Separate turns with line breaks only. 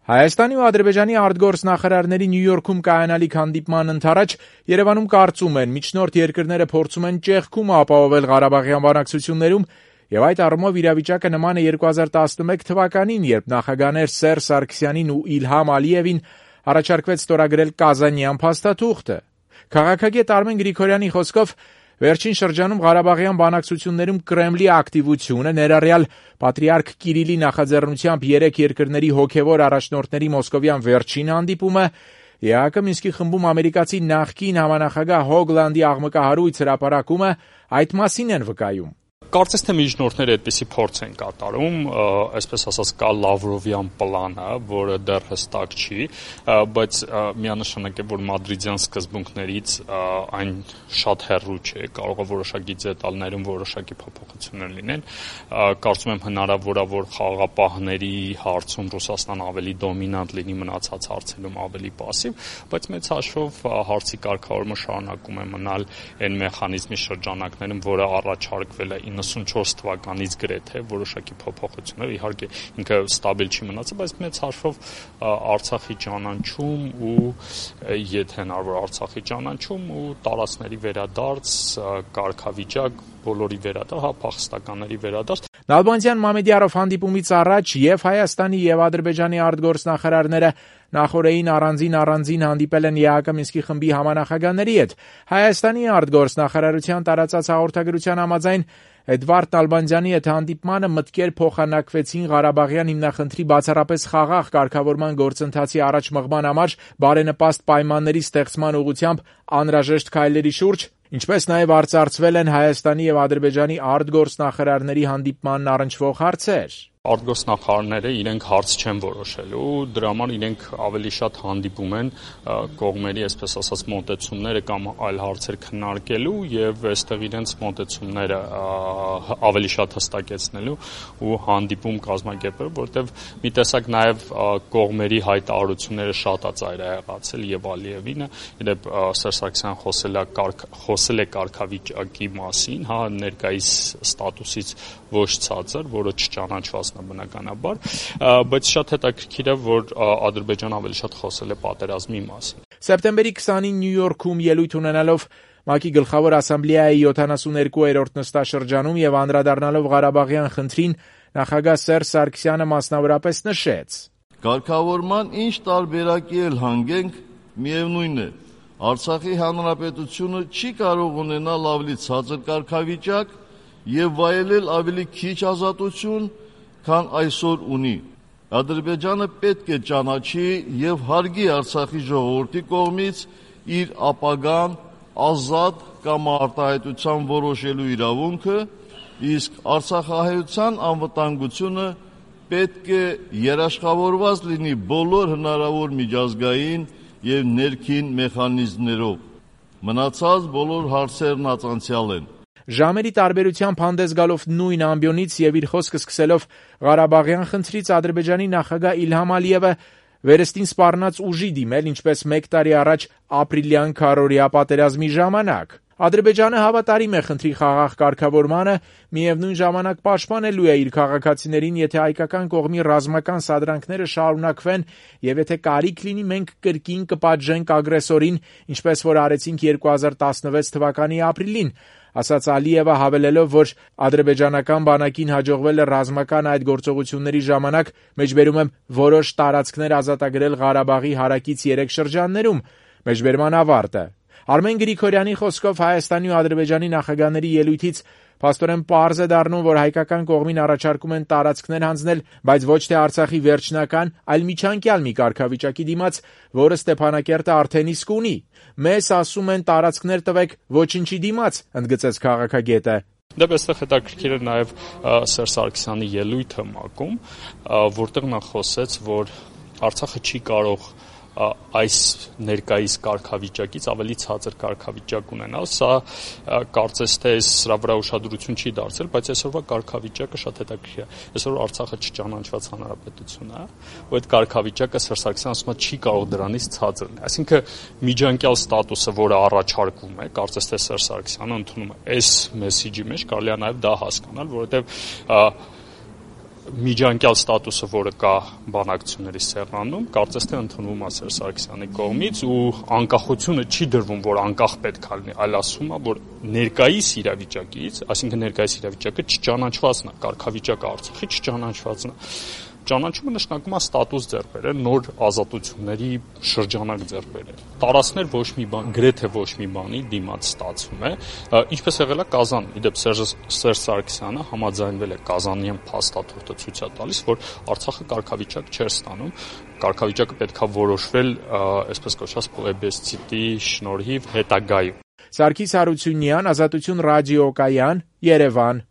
Հայաստանի ու Ադրբեջանի արտգործնախարարների Նյու Յորքում կայանալիք հանդիպման ընթരാճ Երևանում կարծում են միջնորդ երկրները փորձում են ճեղքում ապահովել Ղարաբաղյան բանակցություններում եւ այդ առումով իրավիճակը նման է 2011 թվականին, երբ նախագահներ Սերժ Սարգսյանին ու Իլհամ Ալիևին առաջարկվեց ստորագրել Կազանյան փաստաթուղթը։ Քաղաքագետ Արմեն Գրիգորյանի խոսքով վերջին շրջանում Ղարաբաղյան բանակցություններում Կրեմլի ակտիվությունը, ներառյալ Պատրիարք Կիրիլի նախաձեռնությամբ 3 երկրների հոգևոր առաջնորդների մոսկովյան վերջին հանդիպումը, ԵԱՀԿ Մինսկի խմբում ամերիկացի նախկին համանախագահ Հոգլանդի աղմկահարույց հրապարակումը այդ մասին են վկայում։
Կարծես թե միջնորդները այդպիսի փորձ են կատարում, այսպես ասած կա Լավրովյան պլանը, որը դեռ հստակ չի, բայց միանշանակ է, որ մադրիդյան սկզբունքներից այն շատ հեռու չէ, կարող է որոշակի դետալներում որոշակի փոփոխություններ լինեն։ Կարծում եմ հնարավոր է, որ խաղաղապահների հարցում Ռուսաստան ավելի դոմինանտ լինի, մնացած հարցերում ավելի պասիվ, բայց մեծ հաշվով հարցի կարգավորումը շարունակում է մնալ այն մեխանիզմի շրջանակներում, որը առաջարկվել է 94 թվականից գրեթե որոշակի փոփոխություններ, իհարկե ինքը ստաբիլ չի մնացել, բայց մեծ հաշվով Արցախի ճանաչում ու եթե հնարավոր Արցախի ճանաչում ու տարածքների վերադարձ, կարգավիճակ, բոլորի վերադարձ, փախստականների վերադարձ։
Նալբանդյան Մամեդյարով հանդիպումից առաջ եւ Հայաստանի եւ Ադրբեջանի արտգործնախարարները նախորդին առանձին հանդիպել են ԵԱՀԿ Մինսկի խմբի համանախագահների հետ։ Հայաստանի արտգործնախարարության տարածած հաղորդագրության համաձայն Էդվարդ Նալբանդյանի հետ հանդիպմանը մտքեր փոխանակվեցին Ղարաբաղյան հիմնախնդրի բացառապես խաղաղ կարգավորման գործընթացի առաջ մղման համար բարենպաստ պայմանների ստեղծման ուղղությամբ անհրաժեշտ քայլերի շուրջ, ինչպես նաև արծարծվել են Հայաստանի եւ Ադրբեջանի արտգործնախարարների հանդիպմանն առնչվող հարցեր։
Արտգործնախարարները իրենք հարց չեն որոշելու, դրա համար իրենք ավելի շատ հանդիպում են կողմերի, այսպես ասած, մոտեցումները կամ այլ հարցեր քննարկելու եւ այստեղ իրենց մոտեցումները ավելի շատ հստակեցնելու ու հանդիպում կազմակերպելու, որտեղ մի տեսակ նաեւ կողմերի հայտարարությունները շատ է ծայրահեղացել եւ Ալիևինը, իդեպ Սերժ Սարգսյանը խոսել է կարգավիճակի մասին, հա, ներկայիս ստատուսից ոչ ցածր, որը չճանաչված բնականաբար, բայց շատ հետաքրքիր է, որ Ադրբեջանը ավելի շատ խոսել է պատերազմի մասին։
Սեպտեմբերի 20-ին Նյու Յորքում ելույթ ունենալով ՄԱԿ-ի գլխավոր ասամբլեայի 72-րդ նստաշրջանում եւ անդրադառնալով Ղարաբաղյան խնդրին, նախագահ Սերժ Սարգսյանը մասնավորապես նշեց.
Կարգավորման ինչ տարբերակի էլ հանգենք, միևնույն է, Արցախի հանրապետությունը չի կարող ունենալ ավելի ցածր կարգավիճակ եւ վայելել ավելի քիչ ազատություն, քան այսօր ունի։ Ադրբեջանը պետք է ճանաչի եւ հարգի Արցախի ժողովրդի կողմից իր ապագան ազատ կամ արտահայտության որոշելու իրավունքը, իսկ արցախահայության անվտանգությունը պետք է երաշխավորված լինի բոլոր հնարավոր միջազգային եւ ներքին մեխանիզմներով։ Մնացած բոլոր հարցերն անցյալ են։
Ժամերի տարբերությամբ հանդես գալով նույն ամբիոնից եւ իր խոսքը սկսելով Ղարաբաղյան խնդրից Ադրբեջանի նախագահ Իլհամ Ալիևը վերստին սպառնաց ուժի դիմել, ինչպես 1 տարի առաջ ապրիլյան քարորիա պատերազմի ժամանակ։ Ադրբեջանը հավատարիմ է խնդրի խաղաղ կարգավորմանը, միևնույն ժամանակ պաշտպանելու է իր քաղաքացիներին, եթե հայկական կողմի ռազմական սադրանքները շարունակվեն եւ եթե կարիք լինի, մենք կրկին կպատժենք ագրեսորին, ինչպես որ արեցինք 2016 թվականի ապրիլին, ասաց Ալիևը, հավելելով, որ ադրբեջանական բանակին հաջողվել է ռազմական այդ գործողությունների ժամանակ, մեջբերում եմ, որոշ տարածքներ ազատագրել Ղարաբաղի հարակից 3 շրջաններում, մեջբերման ավարտը։ Արմեն Գրիգորյանի խոսքով Հայաստանի ու Ադրբեջանի նախագահների ելույթից փաստորեն պարզ է դառնում, որ հայկական կողմին առաջարկում են տարածքներ հանձնել, բայց ոչ թե Արցախի վերջնական, այլ միջանկյալ մի կարգավիճակի դիմաց, որը Ստեփանակերտը արդեն իսկ ունի։ Մեզ ասում են տարածքներ տվեք, ոչինչի դիմաց, ընդգծեց քաղաքագետը։
Դե այստեղ հետաքրքիր է նաև Սերժ Սարգսյանի ելույթը ՄԱԿ-ում, որտեղ նա խոսեց, որ Արցախը չի կարող այս ներկայիս կարգավիճակից ավելի ցածր կարգավիճակ ունենալ, սա կարծես թե սրա վրա ուշադրություն չի դարձել, բայց այսօրվա կարգավիճակը շատ հետաքրքիր է։ Այսօր Արցախը չճանաչված հանրապետություն է, ու այդ կարգավիճակը Սերժ Սարգսյանը ասում է չի կարող դրանից ցածր լինել։ Այսինքն միջանկյալ ստատուսը, որը առաջարկվում է, կարծես թե Սերժ Սարգսյանը ընդունում է այս մեսիջի մեջ, կարելի է նաև դա հասկանալ, որովհետև միջանկյալ ստատուսը, որը կա բանակցությունների սեղանում, կարծես թե ընդունվում է Սերժ Սարգսյանի կողմից ու անկախությունը չի դրվում, որ անկախ պետք է լինի, այլ ասում է, որ ներկայիս իրավիճակից, այսինքն ներկայիս իրավիճակը չճանաչվածն է, կարգավիճակը Արցախի չճանաչվածն է։ Ճանաչումը նշանակում է ստատուս ձեռք բերել, նոր ազատությունների շրջանակ ձեռք բերել։ Տարածքներ ոչ մի բան, գրեթե ոչ մի բանի դիմաց ստացվում է, ինչպես եղել է Կազանում։ Իդեպ Սերժ Սարգսյանը համաձայնվել է Կազանյան փաստաթուղթը ցույց է տալիս, որ Արցախը կարգավիճակ չէր ստանում, կարգավիճակը պետք է որոշվել, այսպես կոչված պլեբեսցիտի շնորհիվ հետագայում։
Սարգիս Հարությունյան, Ազատություն ռադիոկայան, Երևան։